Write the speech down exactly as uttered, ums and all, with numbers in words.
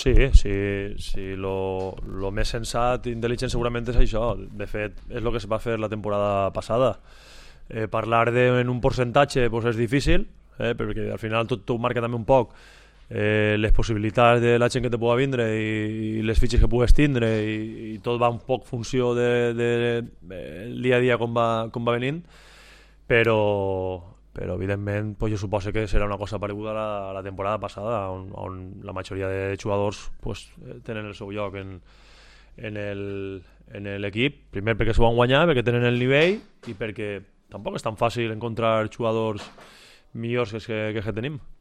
Sí, sí, sí, lo, lo més sensat i intel·ligent segurament és això. De fet, és el que es va fer la temporada passada. Eh, parlar de, en un percentatge pues, és difícil, eh, perquè al final tot t'ho marca també un poc eh, les possibilitats de la gent que te pugui vindre i, i les fitxes que pugues tindre i, i tot va un poc funció de, de, de, el dia a dia com va, com va venint, però però evidentment pues, jo suposo que serà una cosa pareguda a la, a la temporada passada on, on la majoria de jugadors pues, tenen el seu lloc en, en el- en l'equip, primer perquè s'ho van guanyar, perquè tenen el nivell i perquè tampoc és tan fàcil encontrar jugadors millors que, que, que tenim.